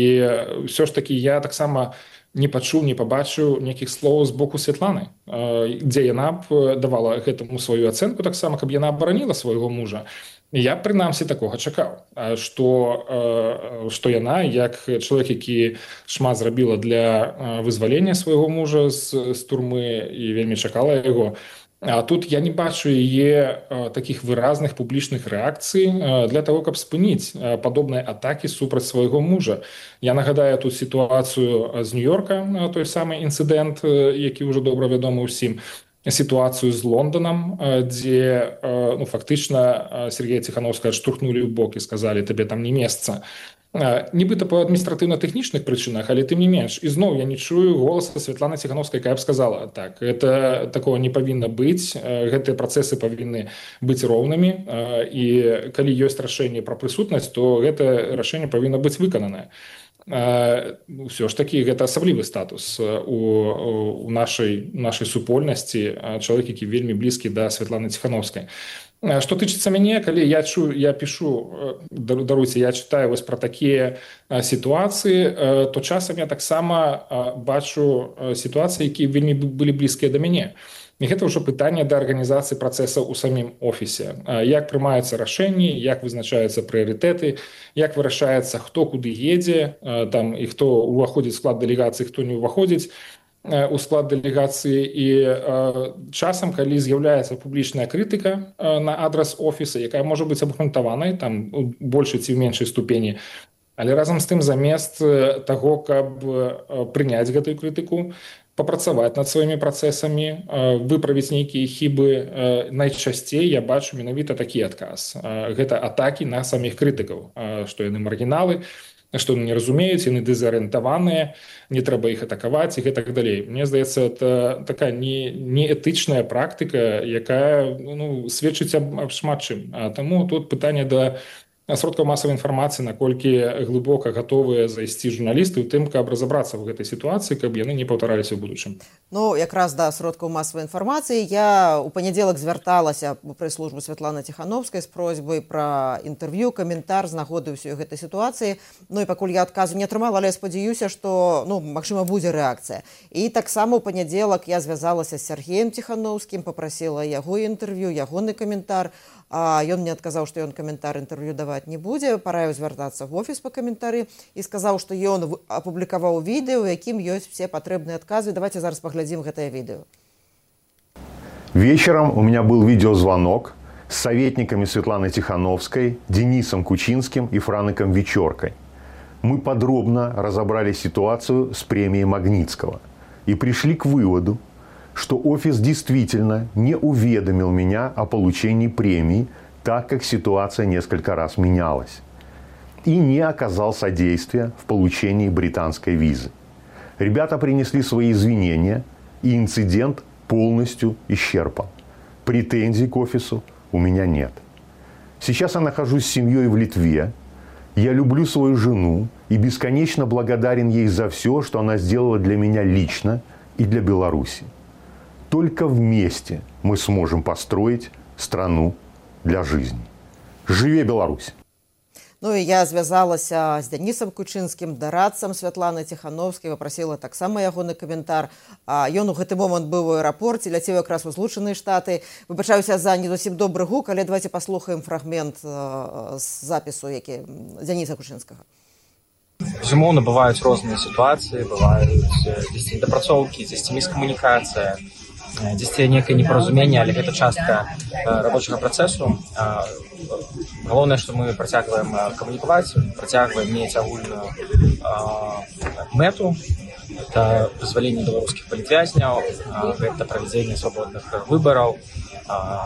ўсё ж такі я таксама не пачуў, не пабачыў нейкіх слоў з боку Святланы, дзе яна б давала гэтаму сваю ацэнку таксама, каб яна абараніла свайго мужа. Я, прынамсі, такога чакаў, што яна, як чалавек, які шмат зрабіла для вызвалення свайго мужа з турмы і вельмі чакала яго, а тут я не бачу яе такіх выразных публічных рэакцый для таго, каб спыніць падобныя атакі супраць свайго мужа. Я нагадаю тут сітуацыю з Нью-Йорка, той самы інцыдэнт, які ўжо добра вядомы ўсім, сітуацыю з Лонданам, дзе фактычна Сергея Ціхановскага штурхнулі ў бок і сказалі, табе там не месца. Нібыта па адміністратыўна-тэхнічных прычынах, але тым не менш. І зноў я не чую голаса Святланы Ціхановскай, якая б сказала, так, гэта такого не павінна быць, гэтыя працэсы павінны быць роўнымі, і калі ёсць рашэнне пра прысутнасць, то гэта рашэнне павінна быць выкананае. Ўсё ж такі гэта асаблівы статус у нашай супольнасці, чалавек, які вельмі блізкі да Святланы Ціхановскай. Што тычыцца мяне, калі я пішу, даруйце, я чытаю вось пра такія сітуацыі, то часам я таксама бачу сітуацыі, якія вельмі былі блізкія да мяне. І гэта ўжо пытанне да арганізацыі працэсаў у самім офісе. Як прымаюцца рашэнні, як вызначаюцца прыярытэты, як вырашаецца, хто куды едзе, там, і хто ўваходзіць у склад дэлегацыі, хто не ўваходзіць у склад дэлегацыі. І часам, калі з'яўляецца публічная крытыка на адрас офіса, якая можа быць абгрунтаванай, там, у большай ці ў меншай ступені, але разам з тым замест таго, каб прыняць гэтую крытыку, папрацаваць над сваімі працэсамі, выправіць нейкія хібы, найчасцей я бачу менавіта такі адказ. Гэта атакі на саміх крытыкаў, што яны маргіналы, што яны не разумеюць, яны дэзарыентаваныя, не трэба іх атакаваць і гэтак далей. Мне здаецца, это такая неэтычная практыка, якая сведчыць аб шмат чым. Таму тут пытанне да сродкаў масавай інфармацыі, наколькі глыбока гатовыя зайсці журналісты ў тым, каб разабрацца ў гэтай сітуацыі, каб яны не паўтараліся ў будучым. Якраз да сродкаў масавай інфармацыі я ў панядзелак звярталася ў прэс-службу Святланы Ціхановскай з просьбай пра інтэрв'ю, каментар з нагоды ўсёй гэтай сітуацыі. І пакуль я адказу не атрымала, але я спадзяюся, што, магчыма, будзе рэакцыя. І таксама ў панядзелак я звязалася з Сергеем Ціхановскім, папрасіла яго інтэрв'ю, ягоны каментар. Ён мне адказаў, што ён каментар інтэрв'ю даваць не будзе, параіў звяртацца в офіс па каментары і сказаў, што ён апублікаваў відэо, у якім ёсць все патрэбныя адказы. Давайте зараз паглядзім гэтае відэо. Вечером у меня был видеозвонок с советниками Светланой Тихановской, Денисом Кучинским и Франком Вечеркой. Мы подробно разобрали ситуацию с премией Магнитского и пришли к выводу, что офис действительно не уведомил меня о получении премии, так как ситуация несколько раз менялась, и не оказал содействия в получении британской визы. Ребята принесли свои извинения, и инцидент полностью исчерпан. Претензий к офису у меня нет. Сейчас я нахожусь с семьей в Литве. Я люблю свою жену и бесконечно благодарен ей за все, что она сделала для меня лично и для Беларуси. Только вместе мы сможем построить страну для жизни. Живе Беларусь! Ну і я звязалася з Денисом Кучинскім, дарадцам Святланы Тихановскай, папрасіла таксама ягоны каментар. Ён у гэты момант быў у аэрапорце, ляцеў якраз у Злучаныя Штаты. Выбачаюся за не зусім добры гук, але давайте паслухаем фрагмент з запісу, які Дениса Кучинскага. Безумоўна, бываюць розныя сітуацыі, бываюць дзесьці недапрацоўкі, дзесьці міскамунікацыя, дзесьці некае непаразуменне, але гэта частка рабочага працэсу. Галоўнае, што мы працягваем камунікаваць, працягваем мець агульную мэту. Это дазваленне беларускіх палітвязняў, гэта правядзенне свабодных выбараў,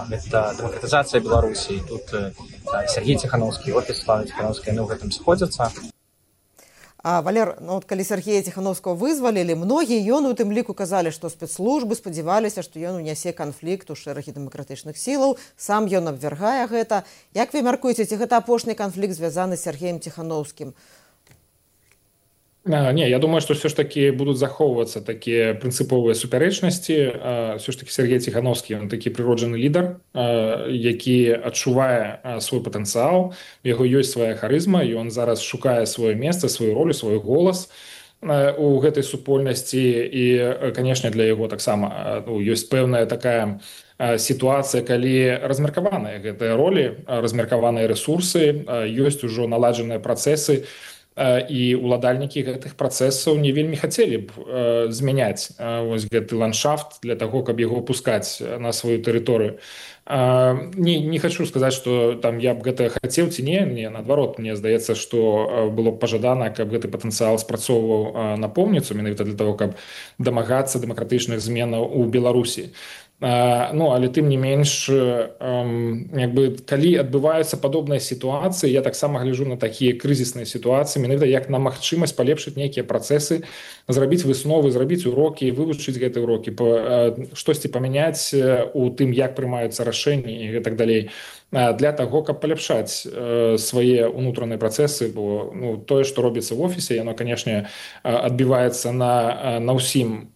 гэта дэмакратызацыя Беларусі. І тут Сергей Тихановскі, офіс Светланы Тихановскай, яны ў гэтым сходзяцца. Валер, ну, от калі Сергея Тихановского вызвалілі, многія ён у тым ліку казалі, што спецслужбы спадзяваліся, што ён унясе канфлікт у шэрагі дэмакратычных сілаў, сам ён абвяргае гэта. Як вы мяркуеце, ці гэта апошні канфлікт звязаны з Сергеем Тихановскім? Не, я думаю, что все ж таки будут захоўвацца такие прынцыповыя супярэчнасці. Все ж таки Сергей Тихановскі, он такі прыроджаны лідар, які адчувае свой патэнцыял, у яго ёсць свая харызма, і он зараз шукае сваё месца, сваю ролю, свой голас у гэтай супольнасці. І, канешне, для яго таксама ёсць пэўная такая сітуацыя, калі размеркаваныя гэтыя ролі, размеркаваныя рэсурсы, ёсць ужо наладжаныя працэсы, і уладальнікі гэтых працэсаў не вельмі хацелі б змяняць вось гэты ландшафт для таго, каб яго пускаць на сваю тэрыторыю. Не хочу сказаць, што там я б гэта хацеў ці не, наадварот, мне здаецца, што было б пажадана, каб гэты патэнцыял спрацоўваў напоўніцу, менавіта для таго, каб дамагацца дэмакратычных зменаў у Беларусі. Ну, але тым не менш, калі адбываюцца падобныя сітуацыі, я таксама гляджу на такія крызісныя сітуацыі, менавіта як на магчымасць палепшыць нейкія працэсы, зрабіць высновы, зрабіць урокі, вывучыць гэтыя урокі, штосьці памяняць у тым, як прымаюцца рашэнні і гэтак далей, для таго, каб паляпшаць свае ўнутраныя працэсы, бо тое, што робіцца в офісе, яно, канешне, адбіваецца на ўсім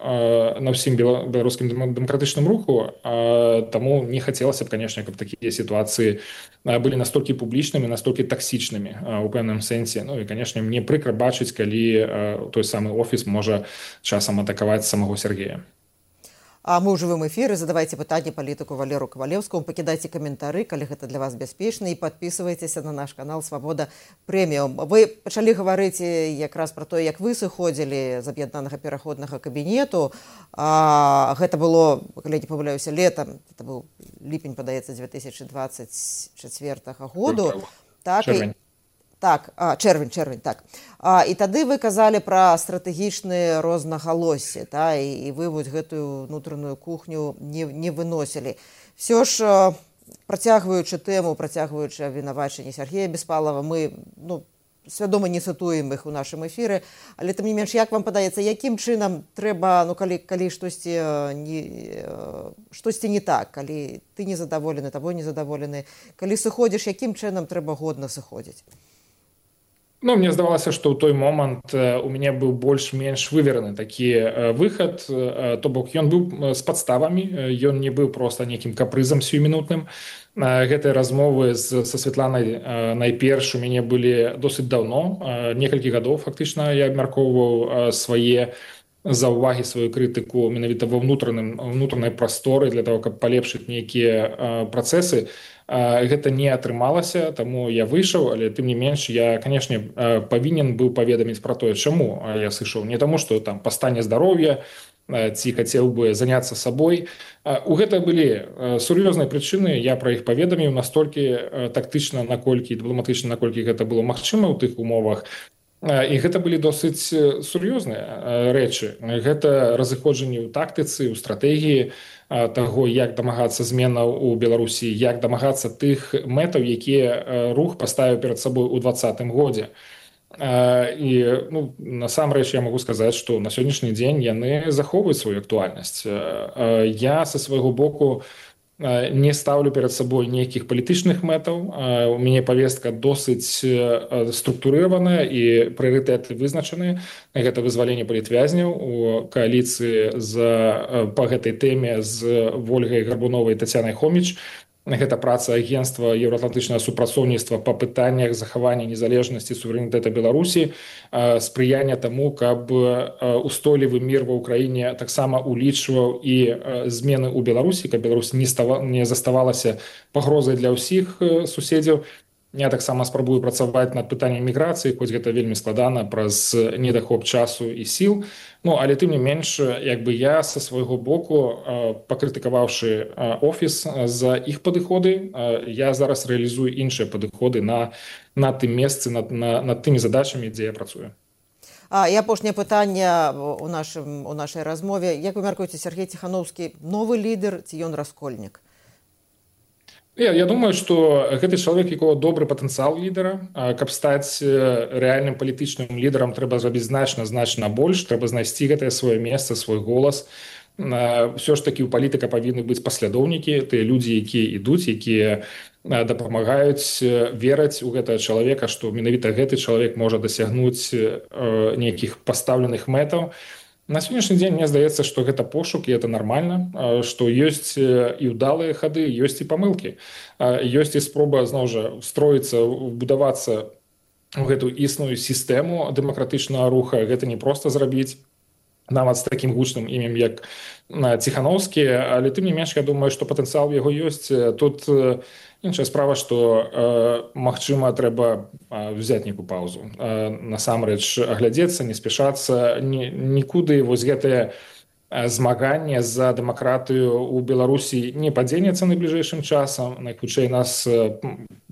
беларускім дэмакратычным руху, таму не хацелася б, канешне, каб такія сітуацыі былі настолькі публічнымі, настолькі таксічнымі у пэўным сэнсе. Ну і, канешне, мне прыкра бачыць, калі той самы офіс можа часам атакаваць самого Сергея. А мы ў жывым эфіры, задавайце пытанні палітыку Валеру Кавалеўскаму, пакідайце каментары, калі гэта для вас бяспечна, і падпісвайцеся на наш канал «Свабода Прэміум». Вы пачалі гаварыць якраз пра тое, як вы сыходзілі з аб'яднанага пераходнага кабінету. Гэта было, калі не памыляюся, летам, это быў ліпень, падаецца, 2024 году. Чэрвень, так. І тады вы казалі пра стратэгічныя рознагалоссі, і вы вось гэтую ўнутраную кухню не выносілі. Всё ж, працягваючы тэму, працягваючы абвінавачанні Сергея Беспалова, мы свядома не цытуем іх у нашым эфіры, але тым не менш, як вам падаецца, якім чынам трэба, калі штосьці не так, калі ты незадаволены, табой незадаволены, калі сыходзіш, якім чынам трэба годна сыходзіць? Мне здавалася, што ў той момант у мяне быў больш-менш вывераны такі выхад, то бок ён быў з падставамі, ён не быў проста нейкім капрызам сіюмінутным. Гэтыя размовы са Светланай найперш у мяне былі досыць даўно, некалькі гадоў фактычна я абмяркоўваў свае заўвагі, сваю крытыку менавіта ва ўнутранай прасторы для того, каб палепшыць нейкія працэсы. Гэта не атрымалася, таму я выйшаў, але тым не менш я, канешне, павінен быў паведаміць пра тое, чаму я сышоў. Не таму, што там па стане здароўя ці хацеў бы заняцца сабой. У гэта былі сур'ёзныя прычыны, я пра іх паведаміў настолькі тактычна, наколькі дыпламатычна, наколькі гэта было магчыма ў тых умовах. І гэта былі досыць сур'ёзныя рэчы. Гэта разыходжанне ў тактыцы, ў стратэгіі таго, як дамагацца зменаў у Беларусі, як дамагацца тых мэтаў, якія рух паставіў перад сабой у 2020 годзе. І насамрэч я магу сказаць, што на сённяшні дзень яны захоўваюць сваю актуальнасць. Я са свайго боку не ставлю перад сабой нейкіх палітычных мэтаў. У мяне павестка досыць структурыраваная і прыярытэты вызначаны. Гэта вызваленне палітвязняў у кааліцыі па гэтай тэме з Вольгай Гарбуновай і Тацянай Хоміч. Гэта праца агенцтва еўраатлантычнага супрацоўніцтва па пытаннях захавання незалежнасці і суверэнітэта Беларусі, спрыяння таму, каб устойлівы мір ва ўкраіне таксама улічваў і змены ў Беларусі, каб Беларусь не заставалася пагрозай для ўсіх суседзяў. Я таксама спрабую працаваць над пытаннем міграцыі, хоць гэта вельмі складана праз недахоп часу і сіл. Але тым не менш, я са свайго боку, пакрытыкаваўшы офіс за іх падыходы, я зараз рэалізую іншыя падыходы на тым месцы, над тымі задачамі, дзе я працую. І апошняе пытанне у нашай размове. Як вы мяркуеце, Сергей Ціхановскі новы лідар ці ён раскольнік? Я думаю, што гэты чалавек, якого добры патэнцыял лідара, каб стаць рэальным палітычным лідарам, трэба зрабіць значна больш, трэба знайсці гэтае сваё месца, свой голас. Ўсё ж такі ў палітыка павінны быць паслядоўнікі, тыя людзі, якія ідуць, якія дапамагаюць, вераць у гэтага чалавека, што менавіта гэты чалавек можа дасягнуць нейкіх пастаўленых мэтаў. На сённяшні дзень мне здаецца, што гэта пошук, і это нармальна, што ёсць і ўдалыя хады, ёсць і памылкі. Ёсць і спроба, зноў жа, устроіцца, будавацца ў гэту існую сістэму дэмакратычнага руха. Гэта не проста зрабіць, нават з такім гучным імем, як Ціхановскі, але тым не менш, я думаю, што патэнцыял яго ёсць. Тут іншая справа, што, магчыма, трэба взяць нейкую паўзу. Насамрэч, аглядзецца, не спяшацца, нікуды вось гэтае змаганне за дэмакратыю ў Беларусі не падзенецца найбліжэйшым часам. Найхутчэй нас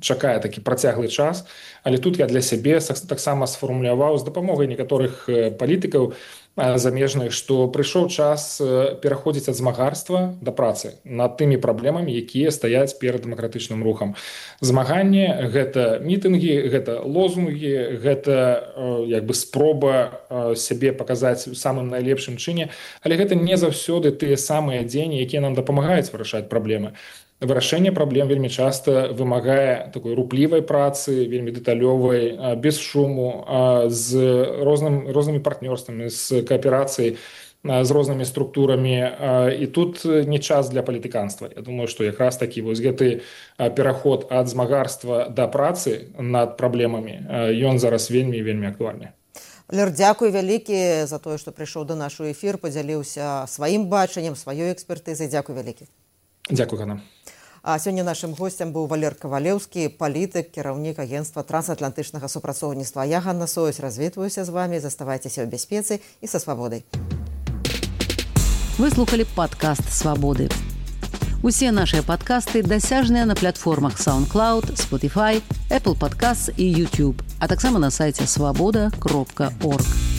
чакае такі працяглы час, але тут я для сябе таксама сфармуляваў з дапамогай некаторых палітыкаў замежных, што прыйшоў час пераходзіць ад змагарства да працы над тымі праблемамі, якія стаяць перад дэмакратычным рухам. Змаганне — гэта мітынгі, гэта лозунгі, гэта спроба сябе паказаць у самым найлепшым чыне, але гэта не заўсёды тыя самыя дзеянні, якія нам дапамагаюць вырашаць праблемы. Вырашэнне праблем вельмі часта вымагае такой руплівай працы, вельмі дэталёвай, без шуму, з рознымі партнёрствамі, з кааперацыяй, з рознымі структурамі. І тут не час для палітыканства. Я думаю, што якраз такі вось гэты пераход ад змагарства да працы над праблемамі, ён зараз вельмі актуальны. Валер, дзякуй вялікі за тое, што прыйшоў да нашу эфір, падзяліўся сваім бачаннем, сваёй экспертызай. Дзякуй вялікі. Дзякуй, Ганна. А сёння нашым госцем быў Валер Кавалеўскі, палітык, кіраўнік агенцтва трансатлантычнага супрацоўніцтва. Я, Ганна Союз, развітваюся з вамі. Заставайцеся ў бяспецы і са свабодай. Вы слухали падкаст «Свабоды». Усе нашыя падкасты дасяжныя на платформах SoundCloud, Spotify, Apple Podcasts і YouTube, а таксама на сайце swaboda.org.